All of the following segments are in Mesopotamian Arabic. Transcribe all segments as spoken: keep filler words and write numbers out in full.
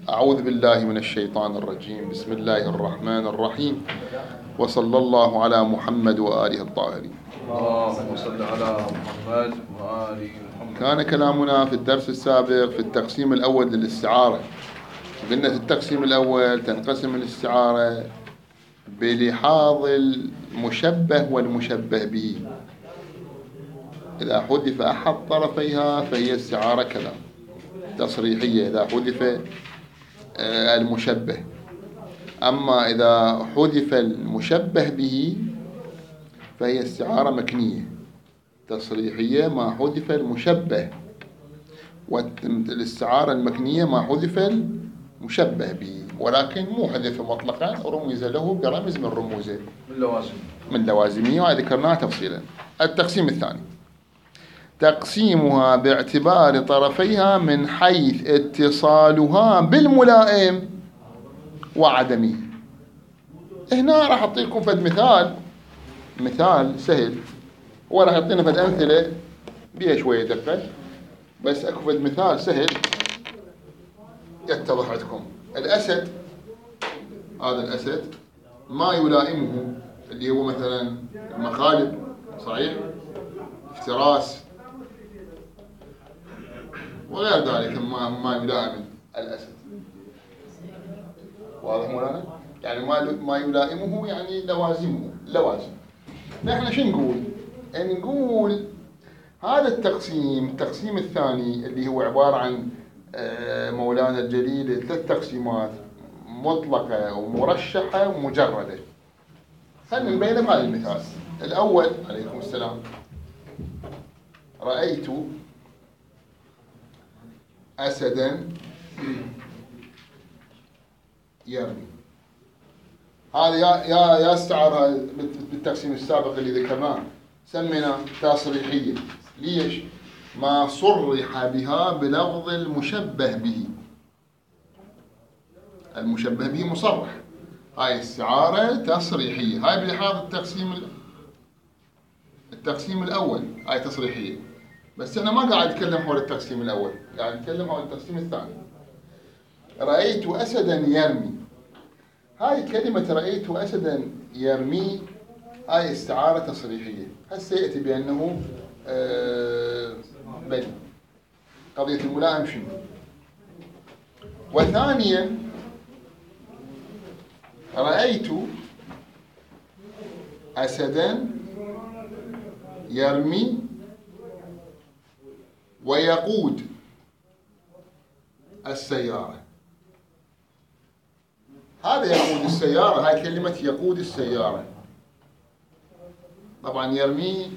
أعوذ بالله من الشيطان الرجيم. بسم الله الرحمن الرحيم، وصلى الله على محمد وآله الطاهرين. اللهم صل على محمد وآل محمد. كان كلامنا في الدرس السابق في التقسيم الأول للاستعارة. قلنا في التقسيم الأول تنقسم الاستعارة بلحاظ المشبه والمشبه به. إذا حذف أحد طرفيها فهي استعارة كلام تصريحية إذا حذف المشبه. أما إذا حذف المشبه به فهي استعارة مكنية تصريحية ما حذف المشبه، والاستعارة المكنية ما حذف المشبه به، ولكن مو حذف مطلقا، رمز له برمز من رموزه من لوازم من لوازمه، وذكرناها تفصيلا. التقسيم الثاني تقسيمها باعتبار طرفيها من حيث اتصالها بالملائم وعدمه. هنا راح أعطيكم فد مثال مثال سهل، هو راح يعطينا فد أمثلة بيها شوية دقة، بس أكو فد مثال سهل يتضح عندكم. الأسد، هذا الأسد ما يلائمه اللي هو مثلا المخالب، صحيح، افتراس وغير ذلك ما ما يلائم الأسد. واضح مولانا؟ يعني ما ما يلائمه يعني لوازمه لوازم. نحن شو نقول؟ نقول هذا التقسيم التقسيم الثاني اللي هو عبارة عن مولانا الجليل ثلاث تقسيمات مطلقة ومرشحة ومجردة. خلينا نبين بهذا المثال. الأول عليكم السلام، رأيت أسدا يرمي. هذا يا يا يا استعارة بالتقسيم السابق اللي ذكرناه سمينا تصريحية. ليش؟ ما صرح بها بلفظ المشبه به. المشبه به مصرح، هاي استعارة تصريحية. هاي بلحاظ التقسيم التقسيم الأول هاي تصريحية، بس أنا ما قاعد أتكلم حول التقسيم الأول، قاعد أتكلم حول التقسيم الثاني. رأيت أسدا يرمي، هاي كلمة رأيت أسدا يرمي هاي استعارة تصريحية. هسه يأتي بأنه آه بل قضية الملائم شنو. وثانيا رأيت أسدا يرمي ويقود السيارة. هذا يقود السيارة، هاي كلمة يقود السيارة. طبعا يرمي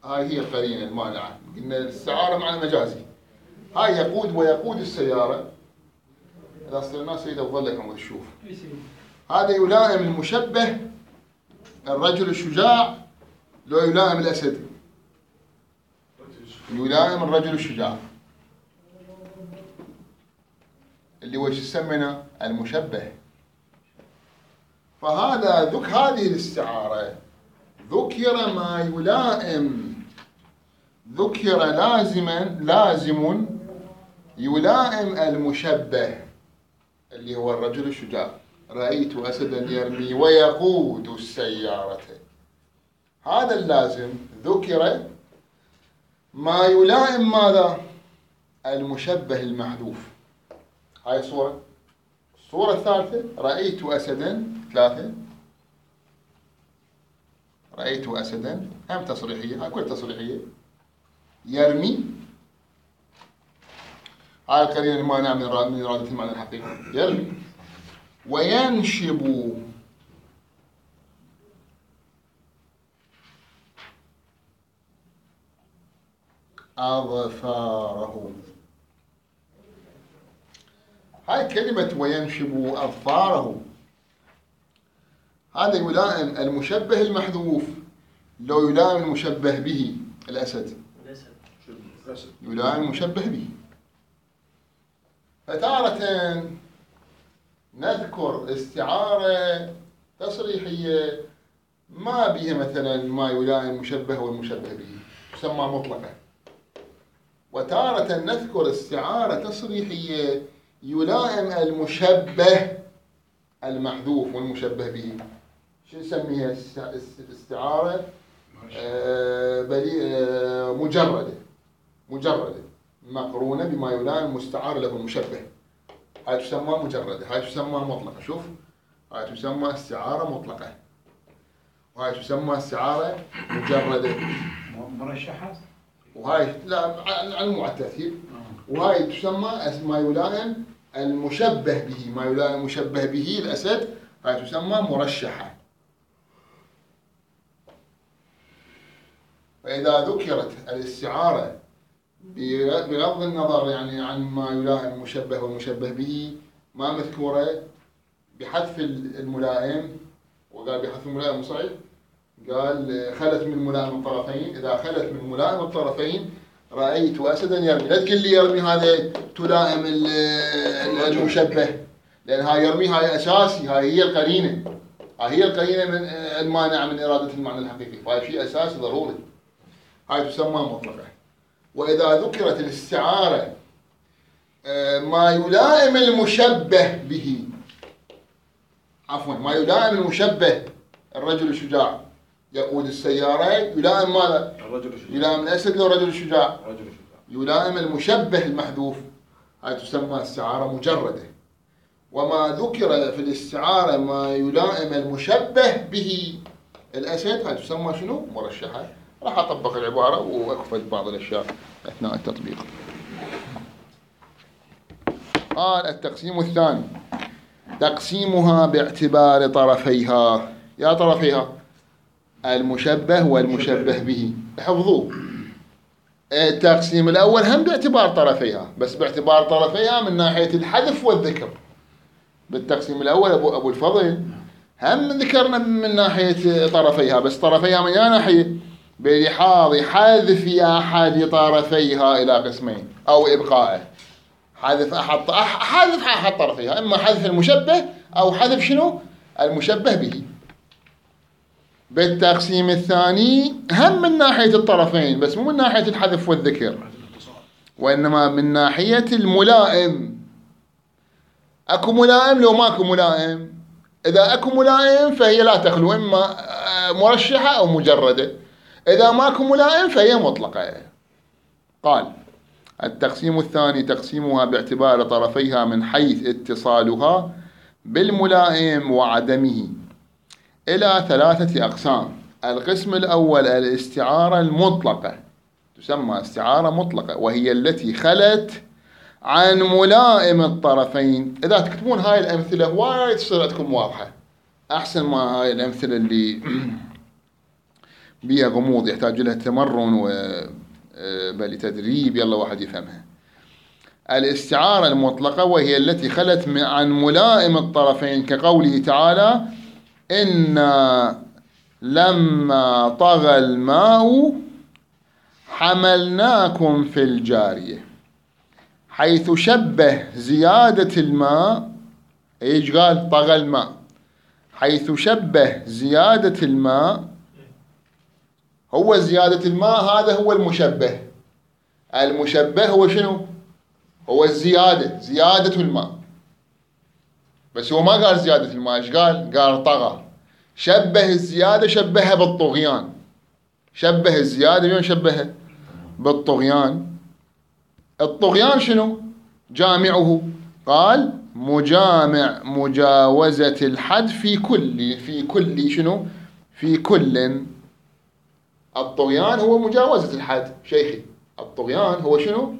هاي هي القرينة المانعة، إن الاستعارة معنى مجازي. هاي يقود ويقود السيارة. إذا صرنا سيدة وظلك عمود الشوف، هذا يلائم المشبه الرجل الشجاع لو يلائم الأسد؟ يلائم الرجل الشجاع اللي هو يسمونه المشبه. فهذا ذك هذه الاستعارة ذكر ما يلائم، ذكر لازما لازم يلائم المشبه اللي هو الرجل الشجاع. رأيت أسدا يرمي ويقود السيارة، هذا اللازم ذكر ما يلائم ماذا؟ المشبه المحذوف. هاي صورة. الصورة الثالثة رأيت أسدا، ثلاثة رأيت أسدا هم تصريحية، هاي كل تصريحية. يرمي هاي القرينة المانعة من إرادة المعنى الحقيقي، يرمي. وينشب أظفاره، هاي كلمة وينشب أظفاره هذا يلائم المشبه المحذوف لو يلائم المشبه به الأسد، يلائم المشبه به. فتارة نذكر استعارة تصريحية ما بها مثلا ما يلائم المشبه والمشبه به، تسمى مطلقة. وتارة نذكر استعارة تصريحية يلائم المشبه المحذوف والمشبه به. شو نسميها؟ استعارة آه آه مجردة مجردة مقرونة بما يلائم المستعار له المشبه. هاي تسمى مجردة، هاي تسمى مطلقة. شوف، هاي تسمى استعارة مطلقة، وهاي تسمى استعارة مجردة مرشحة، وهاي لا عن مو على الترتيب. وهاي تسمى ما يلائم المشبه به، ما يلائم المشبه به الأسد، هاي تسمى مرشحة. فإذا ذكرت الاستعارة بغض النظر يعني عن ما يلائم المشبه والمشبه به، ما مذكورة بحذف الملائم، وقال بحذف الملائم صحيح، قال خلت من ملائم الطرفين. إذا خلت من ملائم الطرفين رأيت أسدا يرمي، لا تقول لي يرمي هذا تلائم المشبه، لأن هاي يرمي هاي أساسي، هاي هي القرينة، هاي هي القرينة من المانع من إرادة المعنى الحقيقي، فهاي شيء أساسي ضروري، هاي تسمى مطلقة. وإذا ذكرت الاستعارة ما يلائم المشبه به، عفوا ما يلائم المشبه، الرجل الشجاع يقود السيارة، يلائم ماذا؟ الرجل الشجاع. يلائم الأسد لو رجل الشجاع. الرجل الشجاع. يلائم المشبه المحذوف، هاي تسمى استعارة مجردة. وما ذكر في الاستعارة ما يلائم المشبه به الأسد، هاي تسمى شنو؟ مرشحة. راح أطبق العبارة وأكفل بعض الأشياء أثناء التطبيق. قال التقسيم الثاني تقسيمها باعتبار طرفيها. يا طرفيها المشبه والمشبه به، حفظوه. التقسيم الأول هم باعتبار طرفيها، بس باعتبار طرفيها من ناحية الحذف والذكر. بالتقسيم الأول أبو, أبو الفضل هم ذكرنا من ناحية طرفيها، بس طرفيها من يا ناحية؟ بلحاظ حذف أحد طرفيها إلى قسمين أو إبقائه. حذف أحد حذف أحد طرفيها، إما حذف المشبه أو حذف شنو؟ المشبه به. بالتقسيم الثاني هم من ناحية الطرفين، بس مو من ناحية الحذف والذكر، وإنما من ناحية الملائم. أكو ملائم لو ماكو ملائم. إذا أكو ملائم فهي لا تخلو، إما مرشحة أو مجردة. إذا ماكو ملائم فهي مطلقة. قال التقسيم الثاني تقسيمها باعتبار طرفيها من حيث اتصالها بالملائم وعدمه إلى ثلاثة أقسام. القسم الأول الاستعارة المطلقة، تسمى استعارة مطلقة، وهي التي خلت عن ملائم الطرفين. إذا تكتبون هاي الأمثلة وايد تصير عندكم واضحة، أحسن ما هاي الأمثلة اللي بيها غموض يحتاج لها تمرن و بل تدريب يلا واحد يفهمها. الاستعارة المطلقة وهي التي خلت عن ملائم الطرفين، كقوله تعالى إنا لما طغى الماء حملناكم في الجارية، حيث شبه زيادة الماء. ايش قال؟ طغى الماء، حيث شبه زيادة الماء. هو زيادة الماء هذا هو المشبه. المشبه هو شنو؟ هو الزيادة، زيادة الماء. بس هو ما قال زيادة الماء، ايش قال؟ قال طغى. شبه الزيادة، شبهها بالطغيان. شبه الزيادة بمن شبهها؟ بالطغيان. الطغيان شنو؟ جامعه. قال مجامع مجاوزة الحد في كل في كل شنو؟ في كل. الطغيان هو مجاوزة الحد شيخي. الطغيان هو شنو؟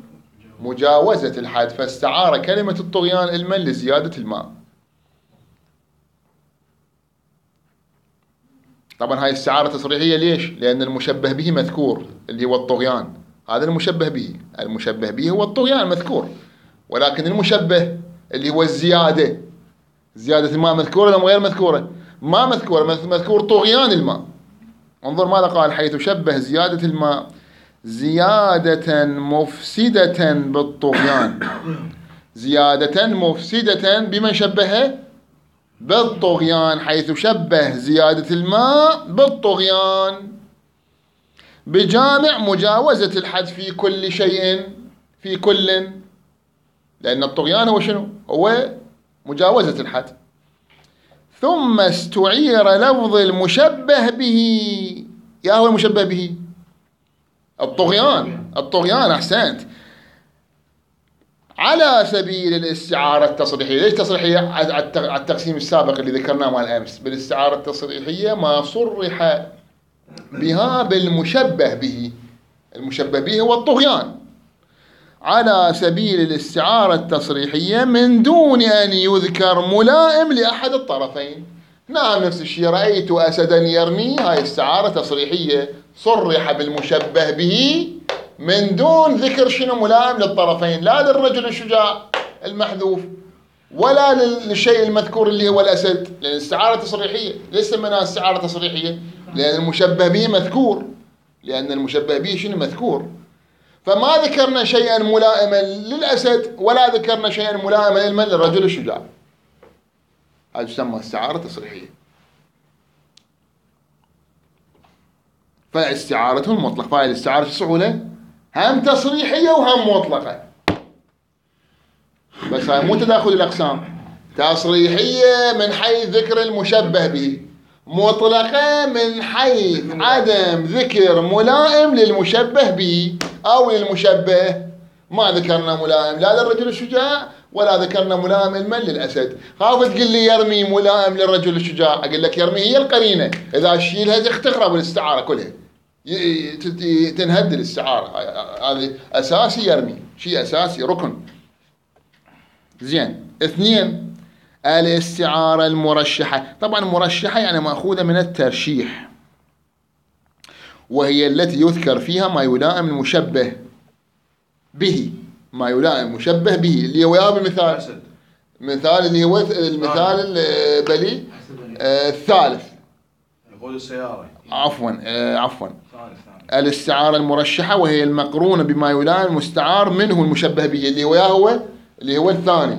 مجاوزة الحد. فاستعار كلمة الطغيان علما لزيادة الماء. طبعا هاي استعارة تصريحية. ليش؟ لأن المشبه به مذكور اللي هو الطغيان، هذا المشبه به. المشبه به هو الطغيان مذكور، ولكن المشبه اللي هو الزيادة، زيادة الماء مذكورة ولا غير مذكورة؟ ما مذكورة، مذكور طغيان الماء. انظر ماذا قال: حيث شبه زيادة الماء زيادة مفسدة بالطغيان. زيادة مفسدة بمن شبهه؟ بالطغيان. حيث شبه زيادة الماء بالطغيان بجامع مجاوزة الحد في كل شيء، في كل. لأن الطغيان هو شنو؟ هو مجاوزة الحد. ثم استعير لفظ المشبه به. يا هو المشبه به؟ الطغيان. الطغيان، أحسنت. على سبيل الاستعارة التصريحية. ليش تصريحية؟ على التقسيم السابق اللي ذكرناه مال أمس. بالاستعارة التصريحية ما صرح بها بالمشبه به. المشبه به هو الطغيان. على سبيل الاستعارة التصريحية من دون أن يذكر ملائم لأحد الطرفين. نعم، نفس الشيء. رأيت أسدا يرمي، هاي استعارة تصريحية صرح بالمشبه به من دون ذكر شنو ملائم للطرفين، لا للرجل الشجاع المحذوف ولا للشيء المذكور اللي هو الأسد، لأن الاستعارة تصريحية. ليش سميناها استعارة تصريحية؟ لأن المشبه به مذكور، لأن المشبه به شنو مذكور. فما ذكرنا شيئا ملائما للأسد ولا ذكرنا شيئا ملائما للرجل الشجاع. هذا يسمى استعارة تصريحية. فاستعارة المطلق. فهي الاستعارة السهولة هم تصريحية وهم مطلقة، بس هاي مو تداخل الأقسام. تصريحية من حيث ذكر المشبه به، مطلقة من حيث عدم ذكر ملائم للمشبه به أو للمشبه. ما ذكرنا ملائم لا للرجل الشجاع ولا ذكرنا ملائم المن للأسد. خاف تقول لي يرمي ملائم للرجل الشجاع، أقول لك يرمي هي القرينة، إذا شيلها تخرب الاستعارة كلها، تنهد الاستعارة. هذا أساسي، يرمي شيء أساسي، ركن. زين. اثنين، الاستعارة المرشحة. طبعا مرشحة يعني مأخوذة من الترشيح، وهي التي يذكر فيها ما يلائم المشبه به. ما يلائم المشبه به اللي هو بالمثال، مثال اللي هو المثال البلي الثالث. يقول السيارة. عفوا عفوا الاستعارة المرشحة وهي المقرونة بما يلائم المستعار منه المشبه به اللي هو هو اللي هو الثاني.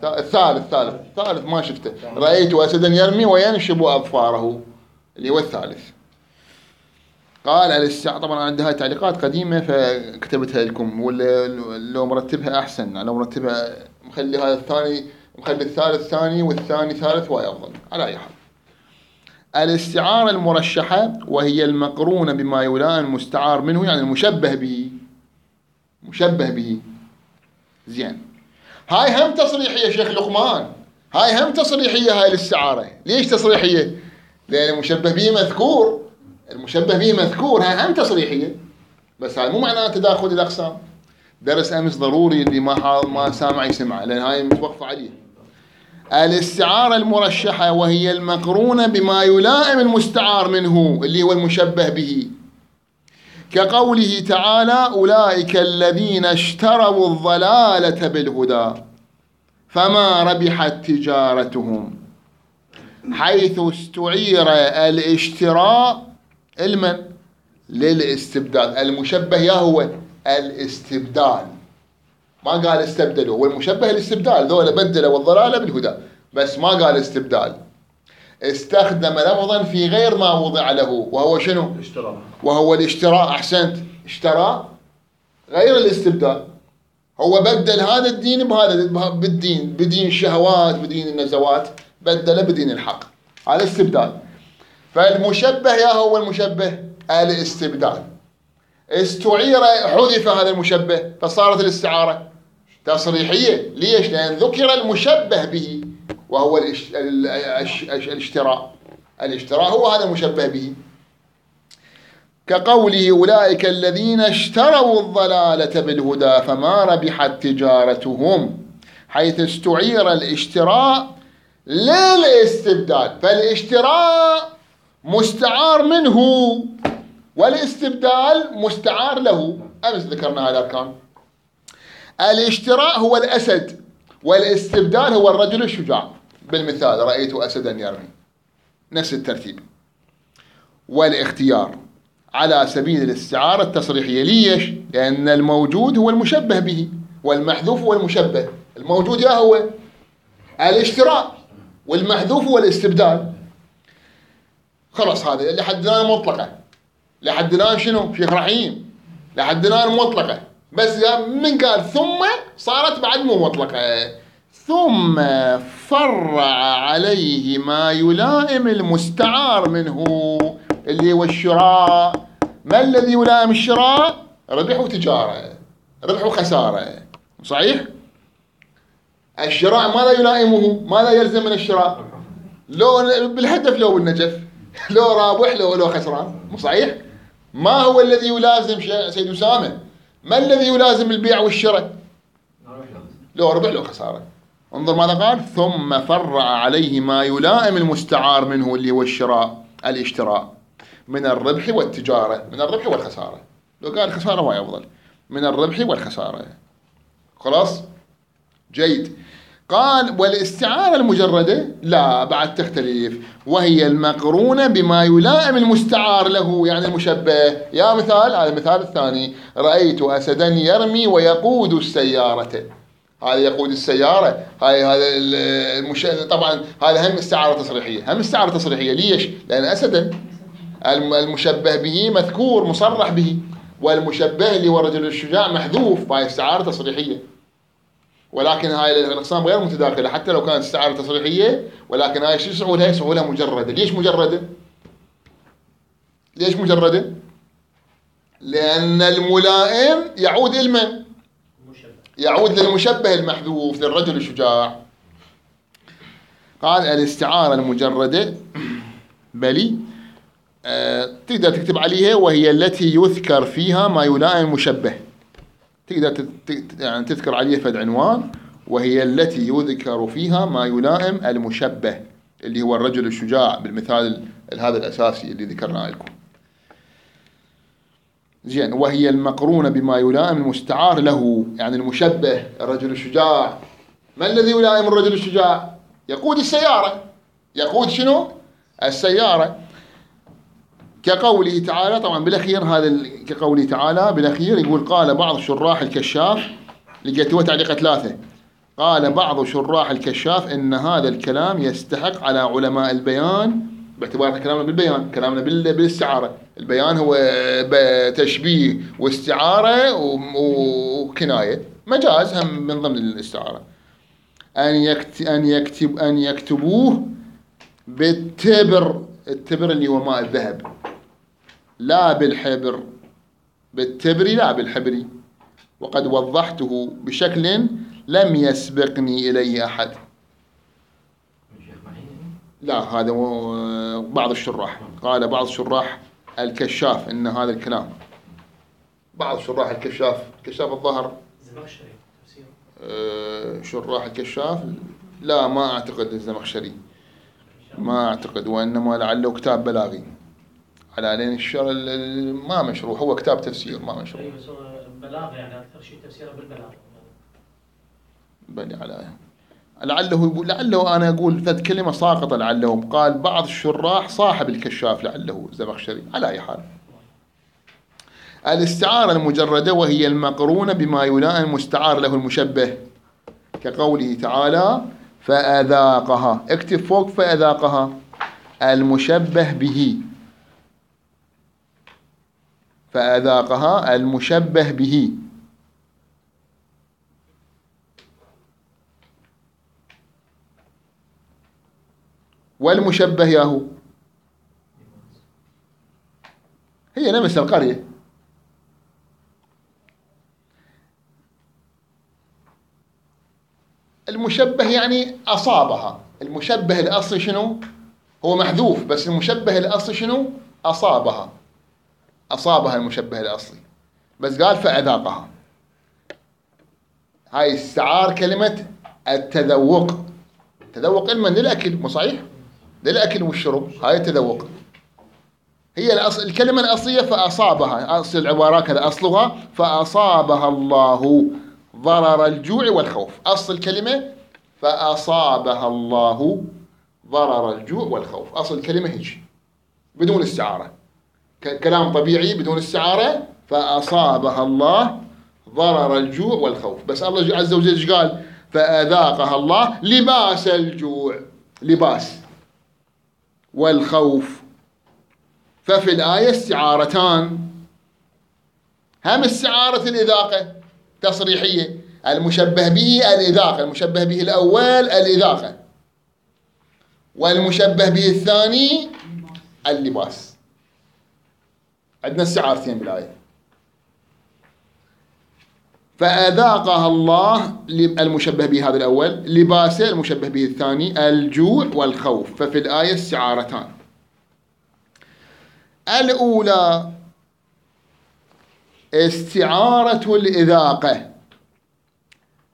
الثالث ثالث ثالث ما شفته. رأيت أسدا يرمي وينشب أظفاره اللي هو الثالث. قال الاستعارة. طبعا عندها هاي تعليقات قديمة فكتبتها لكم، ولا لو مرتبها أحسن. لو مرتبها مخلي هذا الثاني، مخلي الثالث ثاني والثاني ثالث، وهي أفضل. على أي حال، الاستعارة المرشحة وهي المقرونة بما يلائم المستعار منه، يعني المشبه به. مشبه به. زين. هاي هم تصريحية يا شيخ لقمان، هاي هم تصريحية. هاي الاستعارة ليش تصريحية؟ لأن المشبه به مذكور، المشبه به مذكور، هاي هم تصريحية. بس هاي مو معناه تداخل الأقسام. درس أمس ضروري اللي ما ما سامع يسمع، لأن هاي متوقف عليه. الاستعارة المرشحة وهي المقرونة بما يلائم المستعار منه اللي هو المشبه به، كقوله تعالى: أولئك الذين اشتروا الضلالة بالهدى فما ربحت تجارتهم. حيث استعير الاشتراء المن للاستبدال. المشبه يا هو الاستبدال، ما قال استبدلوا، والمشبه الاستبدال، ذولا بدلوا الضلالة بالهدى، بس ما قال استبدال. استخدم لفظا في غير ما وضع له، وهو شنو؟ اشتراء. وهو الاشتراء. أحسنت. اشتراء غير الاستبدال. هو بدل هذا الدين بهذا، بالدين، بدين الشهوات، بدين النزوات، بدله بدين الحق. هذا استبدال. فالمشبه يا هو المشبه الاستبدال. استعير، حذف هذا المشبه، فصارت الاستعارة تصريحية. ليش؟ لأن ذكر المشبه به وهو الاشتراء. الاشتراء هو هذا المشبه به. كقوله: أولئك الذين اشتروا الضلالة بالهدى فما ربحت تجارتهم. حيث استعير الاشتراء للاستبدال. فالاشتراء مستعار منه والاستبدال مستعار له. أمس ذكرنا هذه الأركان. الاشتراء هو الأسد والاستبدال هو الرجل الشجاع. بالمثال: رأيت أسدا يرمي، نفس الترتيب. والاختيار على سبيل الاستعارة التصريحية. ليش؟ لأن الموجود هو المشبه به والمحذوف هو المشبه. الموجود يا هو الاشتراء والمحذوف هو الاستبدال. خلاص، هذا اللي حد الآن مطلقة. لحد الآن شنو؟ شيخ رحيم، لحد الآن مطلقة. بس من قال ثم صارت بعد مو مطلقة. ثم فرع عليه ما يلائم المستعار منه اللي هو الشراء. ما الذي يلائم الشراء؟ ربح وتجارة، ربح وخسارة، صحيح؟ الشراء ماذا يلائمه؟ ماذا يلزم من الشراء؟ لو بالهدف لو بالنجف، لو رابح لو لو خسران، مو صحيح؟ ما هو الذي يلازم سيد أسامة؟ ما الذي يلازم البيع والشراء؟ لو ربح لو خسارة. انظر ماذا قال: ثم فرع عليه ما يلائم المستعار منه اللي هو الشراء الاشتراء من الربح والتجارة، من الربح والخسارة. لو قال خسارة هو أفضل، من الربح والخسارة. خلاص؟ جيد. قال: والاستعارة المجردة لا، بعد تختلف، وهي المقرونة بما يلائم المستعار له، يعني المشبه. يا مثال، هذا المثال الثاني: رأيت أسدا يرمي ويقود السيارة. هذا يقود السيارة، هاي هذا المش... طبعا هذا هم استعارة تصريحية، هم استعارة تصريحية. ليش؟ لأن أسدا المشبه به مذكور مصرح به، والمشبه اللي هو الرجل الشجاع محذوف، فهي استعارة تصريحية. ولكن هاي الأقسام غير متداخلة حتى لو كانت استعارة تصريحية، ولكن هاي شو يسعولها؟ يسعولها مجردة. ليش مجردة؟ ليش مجردة؟ لأن الملائم يعود إلى من؟ يعود للمشبه المحذوف، للرجل الشجاع. قال: الاستعارة المجردة بلي آه تقدر تكتب عليها: وهي التي يذكر فيها ما يلائم المشبه. تقدر يعني تذكر عليها فد عنوان: وهي التي يذكر فيها ما يلائم المشبه، اللي هو الرجل الشجاع بالمثال هذا الأساسي اللي ذكرناه لكم. زين. وهي المقرونة بما يلائم المستعار له، يعني المشبه الرجل الشجاع. ما الذي يلائم الرجل الشجاع؟ يقود السيارة. يقود شنو؟ السيارة. كقوله تعالى، طبعا بالأخير هذا كقوله تعالى بالأخير يقول: قال بعض شراح الكشاف، لقيتوا تعليق ثلاثة. قال بعض شراح الكشاف إن هذا الكلام يستحق على علماء البيان، باعتبار كلامنا بالبيان، كلامنا بالاستعارة. البيان هو تشبيه واستعارة وكناية، مجاز هم من ضمن الاستعارة. أن يكتب أن يكتب أن يكتبوه بالتبر، التبر اللي هو ماء الذهب، لا بالحبر، بالتبر لا بالحبر. وقد وضحته بشكل لم يسبقني إليه أحد. لا، هذا بعض الشراح. قال بعض شراح الكشاف إن هذا الكلام، بعض شراح الكشاف، كشاف الظهر الزمخشري تفسيره. أه شراح الكشاف لا، ما أعتقد الزمخشري، ما أعتقد، وإنما لعله كتاب بلاغي على لين الشر، ما مشروع، هو كتاب تفسير ما مشروع. أي بس هو بلاغ، يعني أكثر شيء تفسيره بالبلاغ. بني على لعله لعله أنا أقول ثلاث كلمة ساقطة. لعله قال بعض الشراح صاحب الكشاف، لعله الزمخشري. على أي حال، الاستعارة المجردة وهي المقرونة بما يلائم المستعار له المشبه، كقوله تعالى: فأذاقها. اكتب فوق فأذاقها المشبه به، فأذاقها المشبه به. والمشبه ياهو هي نفس القرية. المشبه يعني أصابها. المشبه الأصلي شنو؟ هو محذوف، بس المشبه الأصلي شنو؟ أصابها. أصابها المشبه الأصلي، بس قال فأذاقها. هاي استعار كلمة التذوق. التذوق علما للأكل، مو صحيح؟ للأكل والشرب، هاي التذوق. هي الأصل، الكلمة الأصلية فأصابها، أصل العبارة كذا أصلها: فأصابها الله ضرر الجوع والخوف. أصل الكلمة فأصابها الله ضرر الجوع والخوف. أصل الكلمة هيك بدون استعارة، كلام طبيعي بدون استعارة. فأصابها الله ضرر الجوع والخوف. بس الله عز وجل ايش قال؟ فأذاقها الله لباس الجوع، لباس والخوف. ففي الآية استعارتان: هم استعارة الإذاقة تصريحية. المشبه به الإذاقة، المشبه به الأول الإذاقة، والمشبه به الثاني اللباس. عندنا استعارتين بالآية. فأذاقها الله المشبه به هذا الأول، لباسه المشبه به الثاني الجوع والخوف. ففي الآية استعارتان. الأولى استعارة الإذاقة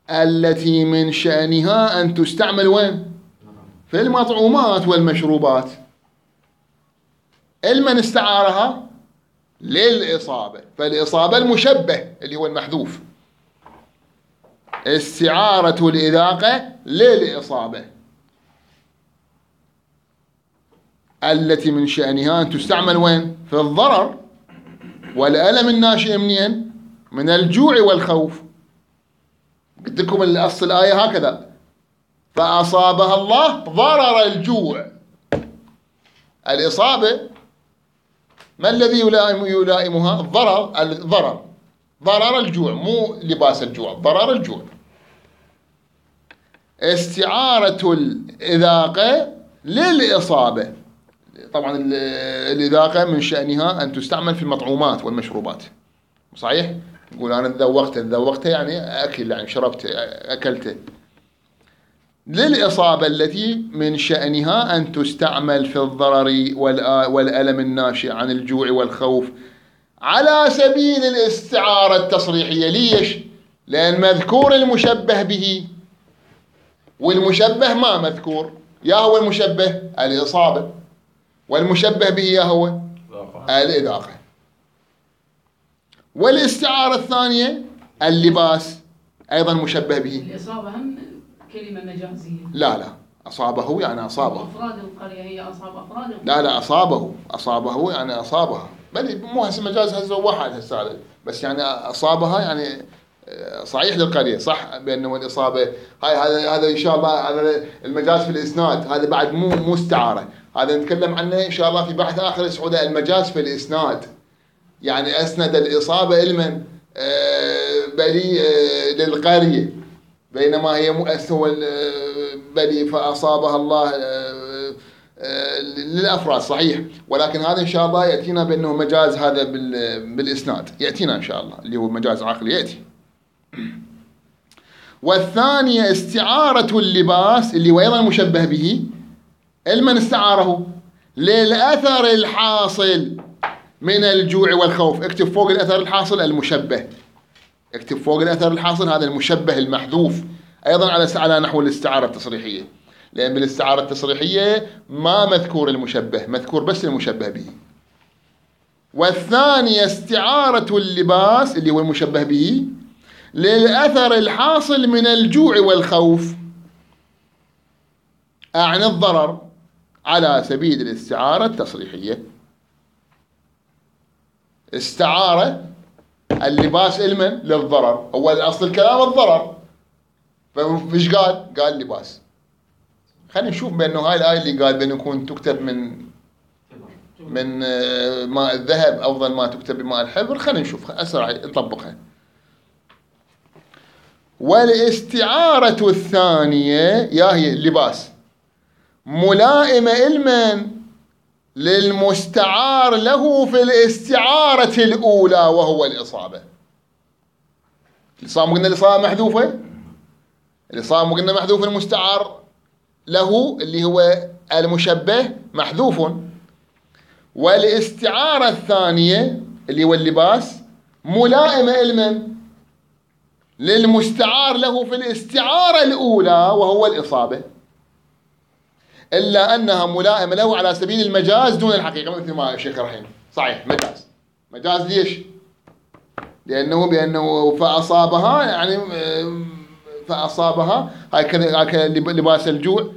التي من شأنها أن تستعمل وين؟ في المطعومات والمشروبات. المن استعارها للإصابة، فالإصابة المشبه اللي هو المحذوف. استعارة الإذاقة للإصابة التي من شأنها أن تستعمل وين؟ في الضرر والألم الناشئ منين؟ من الجوع والخوف. قلت لكم الأصل الآية هكذا: فأصابها الله ضرر الجوع. الإصابة ما الذي يلائم يلائمها؟ الضرر. الضرر ضرر الجوع، مو لباس الجوع، ضرر الجوع. استعارة الإذاقة للإصابة. طبعا الإذاقة من شأنها أن تستعمل في المطعومات والمشروبات، صحيح؟ يقول أنا ذوقته، ذوقته يعني أكل، يعني شربته، أكلته. للإصابة التي من شأنها أن تستعمل في الضرر والألم الناشئ عن الجوع والخوف على سبيل الاستعارة التصريحية. ليش؟ لأن مذكور المشبه به، والمشبه ما مذكور. يا هو المشبه الإصابة، والمشبه به يا هو الإذاقة. والاستعارة الثانية اللباس أيضا مشبه به. الإصابة هم كلمة مجازية. لا لا، أصابه يعني أصابه. أفراد القرية هي أصاب أفراد القرية. لا لا، أصابه، أصابه يعني أصابها. بل مو هسه مجاز هسه واحد هسه، بس يعني أصابها يعني صحيح للقرية، صح بأنه الإصابة هاي هذا هذا إن شاء الله هذا المجاز في الإسناد، هذا بعد مو مو استعارة، هذا نتكلم عنه إن شاء الله في بحث آخر اسمه المجاز في الإسناد. يعني أسند الإصابة لمن؟ بلي للقرية، بينما هي مؤثر بلي فأصابها الله للأفراد، صحيح. ولكن هذا إن شاء الله يأتينا بأنه مجاز هذا بالإسناد، يأتينا إن شاء الله اللي هو مجاز عقلي يأتي. والثانية استعارة اللباس اللي هو أيضا مشبه به. المن استعاره للأثر الحاصل من الجوع والخوف. اكتب فوق الأثر الحاصل المشبه، اكتب فوق الأثر الحاصل هذا المشبه المحذوف، أيضا على على نحو الاستعارة التصريحية، لأن بالاستعارة التصريحية ما مذكور المشبه، مذكور بس المشبه به. والثانية استعارة اللباس اللي هو المشبه به للأثر الحاصل من الجوع والخوف عن الضرر على سبيل الاستعارة التصريحية. استعارة اللباس علما للضرر، أول أصل الكلام الضرر، فإيش قال؟ قال لباس. خلينا نشوف بأنه هاي الآية اللي قال بأنه يكون تكتب من من ماء الذهب أفضل ما تكتب بماء الحبر. خلينا نشوف أسرع نطبقها. والاستعارة الثانية يا هي اللباس ملائمة علما للمستعار له في الاستعارة الأولى وهو الإصابة. الإصابة قلنا الإصابة محذوفة، الإصابة قلنا محذوف المستعار له اللي هو المشبه محذوف. والاستعارة الثانية اللي هو اللباس ملائمة علما للمستعار له في الاستعارة الأولى وهو الإصابة، إلا أنها ملائمة له على سبيل المجاز دون الحقيقة، مثل ما الشيخ رحيم. صحيح مجاز. مجاز ليش؟ لأنه بأنه فأصابها يعني فأصابها هكذا لباس الجوع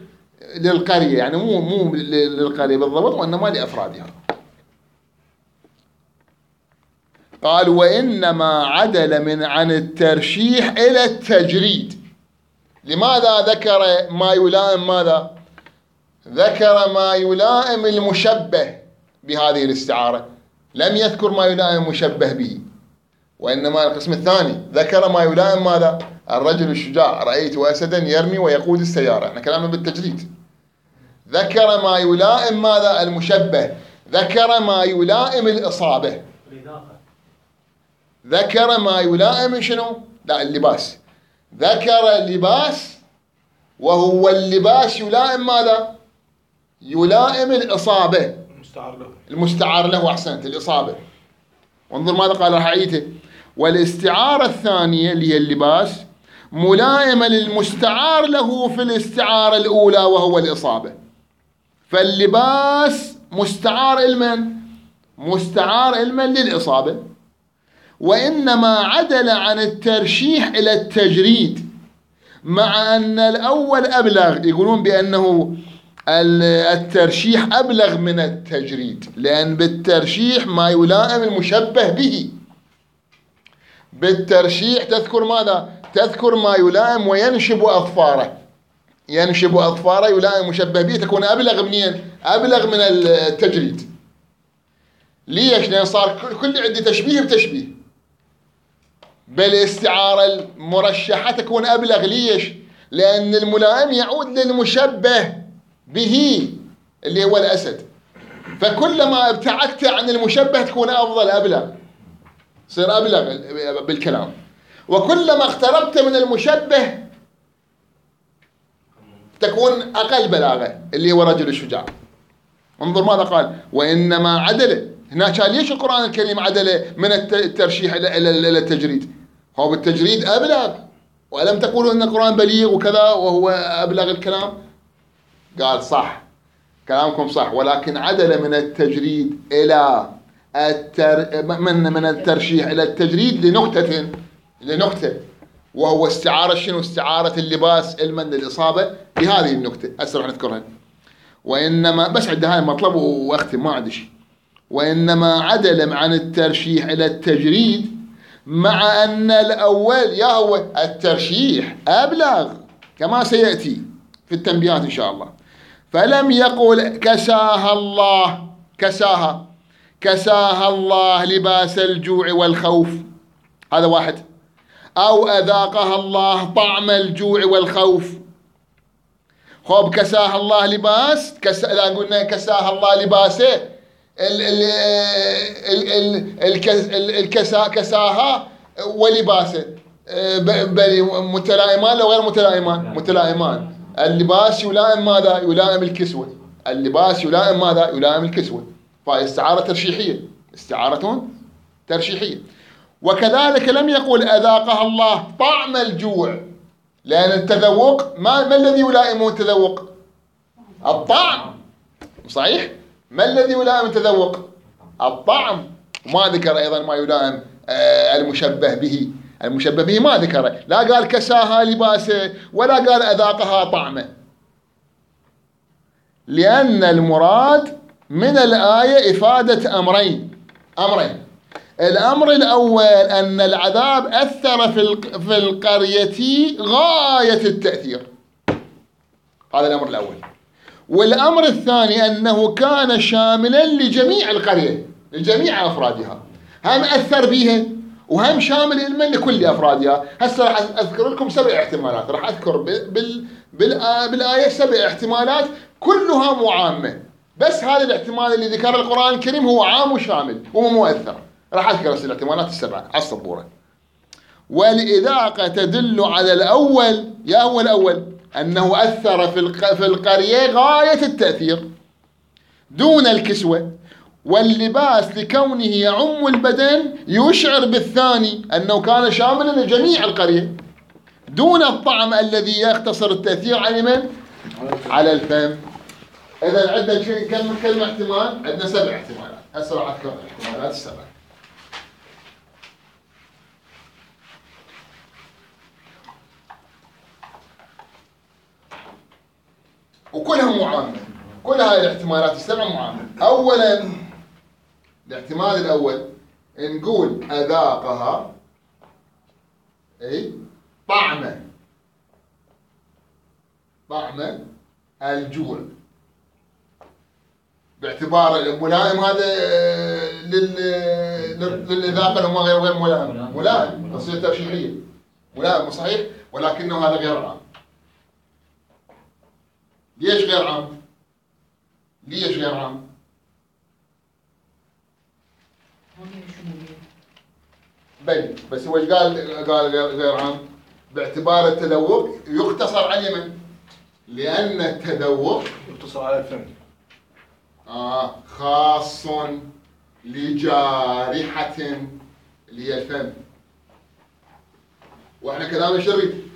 للقرية، يعني مو مو للقرية بالضبط وإنما لأفرادها. قال وإنما عدل من عن الترشيح إلى التجريد. لماذا ذكر ما يلائم ماذا؟ ذكر ما يلائم المشبه بهذه الاستعارة، لم يذكر ما يلائم المشبه به. وإنما القسم الثاني ذكر ما يلائم ماذا؟ الرجل الشجاع رأيت أسدا يرمي ويقود السيارة. احنا كلامنا بالتجريد. ذكر ما يلائم ماذا؟ المشبه. ذكر ما يلائم الإصابة. ذكر ما يلائم شنو؟ لا اللباس. ذكر اللباس وهو اللباس يلائم ماذا؟ يلائم الإصابة. المستعار له. المستعار له أحسنت الإصابة. وانظر ماذا قال رحعيته. والاستعارة الثانية اللي هي اللباس ملائمة للمستعار له في الاستعارة الأولى وهو الإصابة. فاللباس مستعار إلمن؟ مستعار إلمن للإصابة. وإنما عدل عن الترشيح إلى التجريد مع أن الأول أبلغ. يقولون بأنه الترشيح أبلغ من التجريد لأن بالترشيح ما يلائم المشبه به. بالترشيح تذكر ماذا؟ تذكر ما يلائم وينشب أظفاره. ينشب أظفاره يلائم المشبه به تكون أبلغ منين؟ أبلغ من التجريد. ليش؟ لأن صار كل عندي تشبيه بتشبيه. بالاستعارة المرشحة تكون أبلغ. ليش؟ لأن الملائم يعود للمشبه به اللي هو الأسد. فكلما ابتعدت عن المشبه تكون أفضل أبلغ. صير أبلغ بالكلام. وكلما اقتربت من المشبه تكون أقل بلاغة اللي هو رجل الشجاع. انظر ماذا قال. وإنما عدل. هنا كان ليش القرآن الكريم عدل من الترشيح إلى التجريد؟ هو بالتجريد أبلغ. وألم تقولوا أن القرآن بليغ وكذا وهو أبلغ الكلام؟ قال صح كلامكم صح ولكن عدل من التجريد إلى التر... من من الترشيح إلى التجريد لنقطة لنقطة وهو استعارة شنو؟ استعارة اللباس علما للإصابة بهذه النقطة. هسه راح نذكرها. وإنما بس عند هاي المطلب وأختم ما عندي شيء. وإنما عدل عن الترشيح إلى التجريد مع أن الأول يا هو الترشيح أبلغ كما سيأتي في التنبيهات إن شاء الله. فلم يقل كساها الله كساها كساها الله لباس الجوع والخوف. هذا واحد. أو أذاقها الله طعم الجوع والخوف. خب كساها الله لباس كس... إذا قلنا كساها الله لباسه ال... ال... ال... ال... الكس... الكسا كساها ولباسه بل متلائمان لو غير متلائمان؟ متلائمان. اللباس يلائم ماذا؟ يلائم الكسوة. اللباس يلائم ماذا؟ يلائم الكسوة. فهي استعارة ترشيحية. استعارة ترشيحية. وكذلك لم يقل أذاقها الله طعم الجوع لأن التذوق ما, ما الذي يلائمه التذوق؟ الطعم. صحيح؟ ما الذي يلائم التذوق؟ الطعم. وما ذكر أيضا ما يلائم المشبه به. المشبه به ما ذكره. لا قال كساها لباسه ولا قال أذاقها طعمه. لأن المراد من الآية إفادة أمرين. أمرين. الأمر الأول أن العذاب أثر في القرية غاية التأثير. هذا الأمر الأول. والأمر الثاني أنه كان شاملا لجميع القرية لجميع أفرادها. هم أثر بها وهم شامل علما لكل أفرادها. هسه راح أذكر لكم سبع احتمالات. راح أذكر بال بالآية سبع احتمالات كلها معامة. بس هذا الاحتمال اللي ذكر القرآن الكريم هو عام وشامل ومؤثر. راح أذكر الاحتمالات السبعة على السبورة. والإذاقة تدل على الأول يا هو الأول أنه أثر في القرية غاية التأثير دون الكسوة. واللباس لكونه يعم البدن يشعر بالثاني أنه كان شاملا لجميع القرية دون الطعم الذي يختصر التأثير على من؟ على الفم. إذا عندنا كم كلمة احتمال؟ عندنا سبع احتمالات. هسه راح أذكر الاحتمالات السبع. وكلها معامة. كل هذه الاحتمالات السبع معامة. أولا الاحتمال الأول نقول أذاقها أي طعم طعم الجوع باعتبار الملائم هذا لل للإذاقة اللي هو غير غير ملائم، ملائم تصير ترشيحية، ملائم صحيح، ولكنه هذا غير عام. ليش غير عام؟ ليش غير عام؟ بل بس هو ايش قال قال غير عام؟ باعتبار التذوق يقتصر على من؟ لأن التذوق يقتصر على الفم. آه خاص لجارحة اللي هي الفم. واحنا كلام ايش نريد؟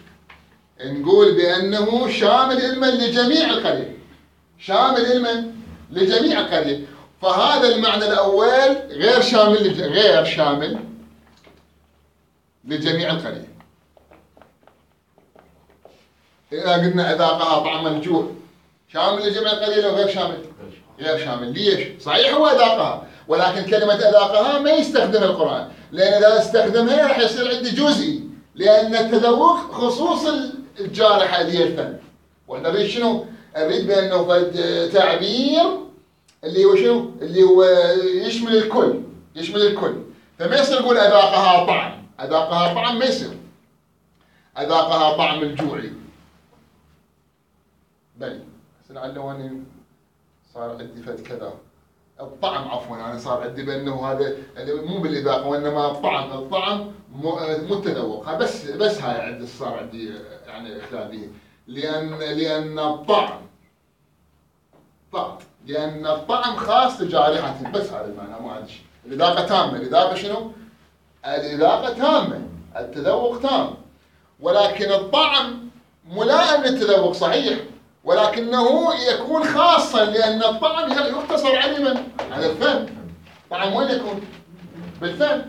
نقول بأنه شامل علما لجميع القرية، شامل علما لجميع القرية. فهذا المعنى الأول غير شامل لج... غير شامل لجميع القرية. إذا قلنا أذاقها طعم الجوع شامل لجميع القرية لو غير شامل؟ غير شامل. ليش؟ صحيح هو أذاقها، ولكن كلمة أذاقها ما يستخدم القرآن، لأن إذا استخدمها راح يصير عندي جزئي، لأن التذوق خصوص الجارحة اللي هي الفم. وإحنا نريد شنو؟ نريد بأنه فد تعبير اللي هو شنو؟ اللي هو يشمل الكل، يشمل الكل. فما يصير يقول أذاقها طعم، أذاقها طعم ما يصير. أذاقها طعم الجوعي. بل بس لعله أني صار عندي فد كذا. الطعم عفوا أنا صار عندي بأنه هذا مو بالإذاقة وإنما الطعم، الطعم مو التذوق. بس بس هاي عندي صار عندي يعني إخلال به، لأن لأن الطعم طعم، لأن الطعم خاص لجارحة، بس هذا المعنى، ما عندي شيء. الإذاقة تامة، الإذاقة شنو؟ الإذاقة تامة، التذوق تام، ولكن الطعم ملائم للتذوق صحيح، ولكنه يكون خاصا لأن الطعم يقتصر على من؟ على الفم. الطعم وين يكون؟ بالفم.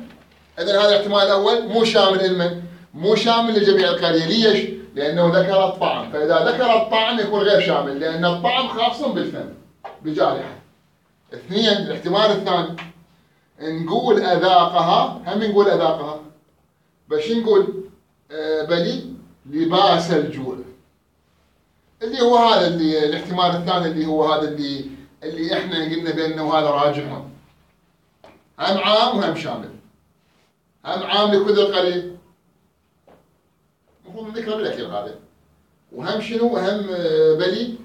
إذن هذا الاحتمال الأول مو شامل لمن؟ مو شامل لجميع القرية. ليش؟ لأنه ذكر الطعم، فإذا ذكر الطعم يكون غير شامل، لأن الطعم خاص بالفم بجارحة. اثنين، الاحتمال الثاني نقول أذاقها، هم نقول أذاقها، بس نقول آه بلي لباس الجوع، اللي هو هذا اللي الاحتمال الثاني اللي هو هذا اللي اللي احنا قلنا بأنه هذا راجح، هم عام وهم شامل، هم عام لكل القرية، المفروض نذكره بالأخير هذا، وهم شنو؟ وهم بلي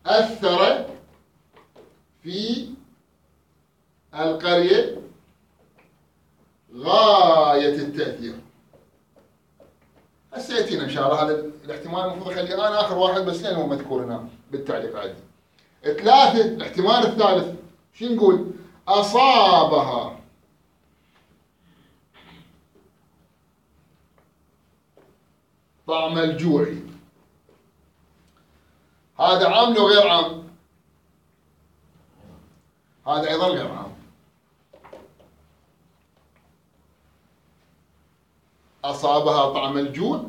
أثر في القرية غاية التأثير. هسه يأتينا إن شاء الله هذا الاحتمال، المفروض أخليه أنا آخر واحد بس لأنه هو مذكور هنا بالتعليق عادي. ثلاثة، الاحتمال الثالث شو نقول؟ أصابها طعم الجوع. هذا عام لو غير عام؟ هذا أيضا غير عام. أصابها طعم الجوع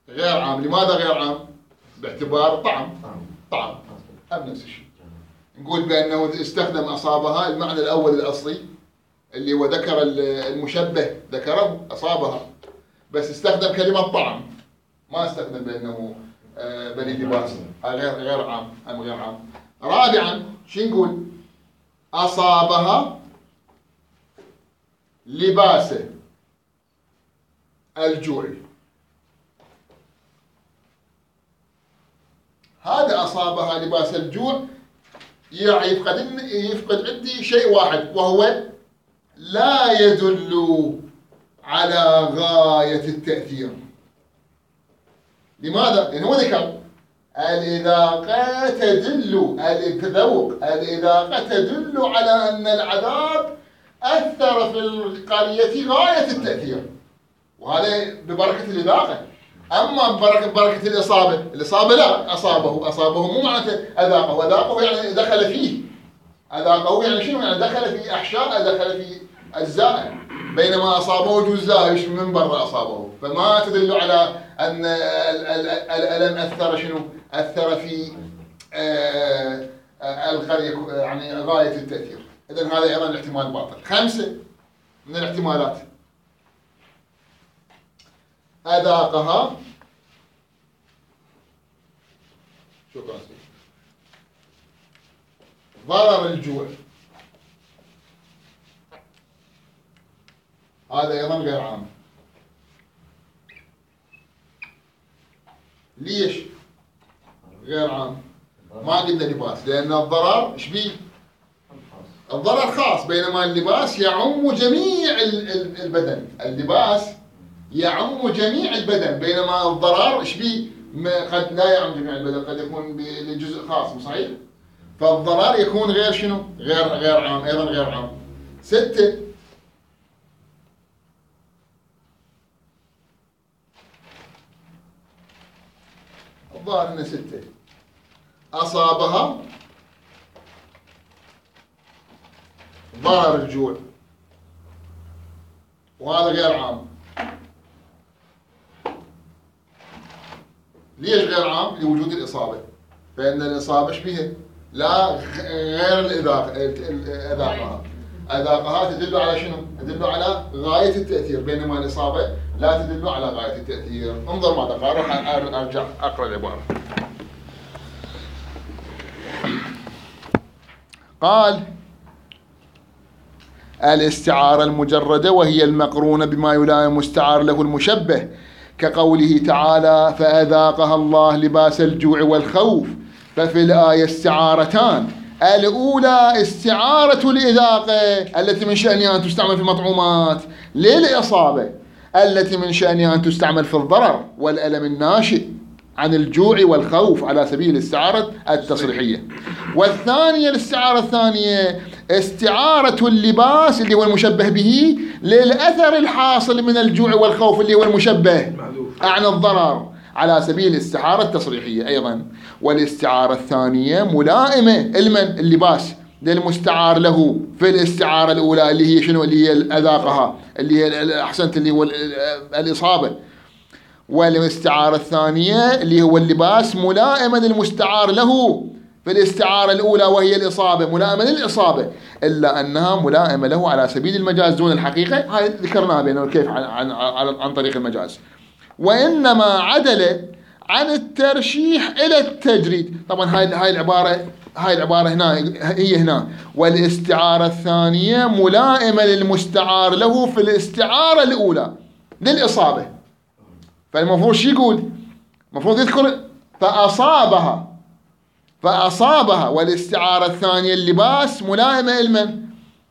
غير عام. لماذا غير عام؟ باعتبار طعم طعم هم نفس الشيء. نقول بأنه استخدم أصابها المعنى الأول الأصلي اللي هو ذكر المشبه، ذكره أصابها، بس استخدم كلمة طعم، ما استخدم بأنه بني لباس. هذا غير غير عام، هم غير عام. رابعا شو نقول؟ أصابها لباس الجوع. هذا أصابها لباس الجوع يعني يفقد يفقد عندي شيء واحد، وهو لا يدل على غاية التأثير. لماذا؟ لأنه هو ذكر الإذاقة تدل، التذوق، الإذاقة تدل على أن العذاب أثر في القرية غاية التأثير، وهذا ببركة الإذاقة. أما ببركة بركة الإصابة، الإصابة لا، أصابه، أصابه مو معناته أذاقه، أذاقه يعني دخل فيه، أذاقه يعني شنو؟ يعني دخل في أحشاء، دخل في أجزاء، بينما أصابه جزء من برا أصابه، فما تدل على أن الألم أثر شنو؟ أثر في القرية يعني غاية التأثير. إذن هذا أيضا الاحتمال باطل. خمسة من الاحتمالات: أذاقها، شكرا سيدي، ضرر الجوع، هذا أيضا غير عام. ليش غير عام؟ ما قلنا لباس، لأن الضرر ايش بيه؟ الضرر خاص، بينما اللباس يعم جميع البدن. اللباس يعم جميع البدن، بينما الضرر ايش بيه؟ قد لا يعم جميع البدن، قد يكون لجزء خاص، مو صحيح؟ فالضرر يكون غير شنو؟ غير غير عام، أيضا غير عام. ستة، الظاهر انه ستة، أصابها ضرر الجوع، وهذا غير عام. ليش غير عام؟ لوجود الإصابة، فإن الإصابة ايش بها؟ لا غير الإذاقة، إذاقها أذاقها تدل على شنو؟ تدل على غاية التأثير، بينما الإصابة لا تدل على غاية التأثير. انظر ماذا قال، راح أرجع أقرأ العبارة. قال: الاستعارة المجردة وهي المقرونة بما يلائم مستعار له المشبه، كقوله تعالى: فأذاقها الله لباس الجوع والخوف. ففي الآية استعارتان، الأولى استعارة الإذاقة التي من شأنها أن تستعمل في المطعومات للإصابة، التي من شأنها أن تستعمل في الضرر والألم الناشئ عن الجوع والخوف على سبيل الاستعارة التصريحية. والثانية الاستعارة الثانية استعارة اللباس اللي هو المشبه به للأثر الحاصل من الجوع والخوف اللي هو المشبه عن الضرر على سبيل الاستعارة التصريحية أيضا. والاستعارة الثانية ملائمة المن اللباس للمستعار له في الاستعارة الأولى اللي هي شنو؟ اللي هي أذاقها، اللي هي أحسنت اللي هو الإصابة. والاستعارة الثانية اللي هو اللباس ملائمة للمستعار له في الاستعارة الأولى وهي الإصابة، ملائمة للإصابة، إلا أنها ملائمة له على سبيل المجاز دون الحقيقة. هاي ذكرناها بينه كيف عن, عن, عن, عن طريق المجاز. وإنما عدل عن الترشيح إلى التجريد. طبعا هاي هاي العبارة هاي العبارة هنا هي هنا. والاستعارة الثانية ملائمة للمستعار له في الاستعارة الأولى للإصابة. فالمفروض شو يقول؟ المفروض يذكر فأصابها فأصابها والاستعارة الثانية اللباس ملائمة لمن؟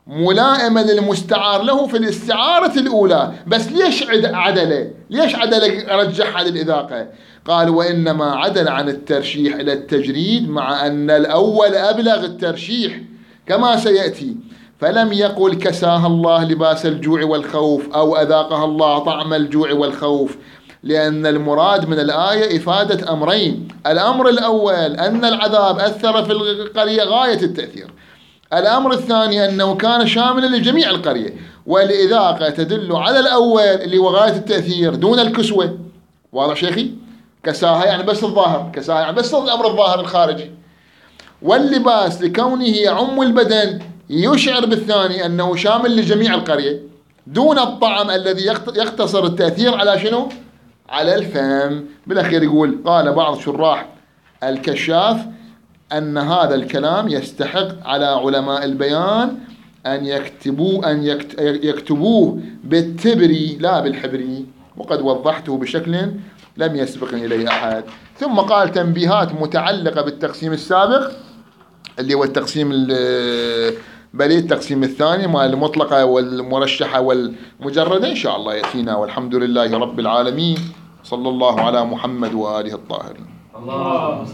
ملائمة للمستعار له في الاستعارة الأولى. بس ليش عدل؟ ليش عدل رجحها للإذاقة؟ قال: وإنما عدل عن الترشيح إلى التجريد، مع أن الأول أبلغ الترشيح كما سيأتي. فلم يقل كساها الله لباس الجوع والخوف أو أذاقها الله طعم الجوع والخوف، لأن المراد من الآية إفادة أمرين. الأمر الأول أن العذاب أثر في القرية غاية التأثير. الأمر الثاني أنه كان شاملا لجميع القرية. والإذاقة تدل على الأول اللي هو غاية التأثير دون الكسوة. واضح شيخي؟ كساها يعني بس الظاهر، كساها يعني بس الأمر الظاهر الخارجي. واللباس لكونه يعم البدن يشعر بالثاني أنه شامل لجميع القرية دون الطعم الذي يقتصر التأثير على شنو؟ على الفم. بالأخير يقول: قال بعض شراح الكشاف أن هذا الكلام يستحق على علماء البيان أن يكتبوه أن يكتبوه بالتبري لا بالحبري، وقد وضحته بشكل لم يسبقني إليه أحد. ثم قال تنبيهات متعلقة بالتقسيم السابق اللي هو التقسيم بلي التقسيم الثاني مع المطلقة والمرشحة والمجردة إن شاء الله يأتينا. والحمد لله رب العالمين، صلى الله على محمد وآله الطاهرين. الله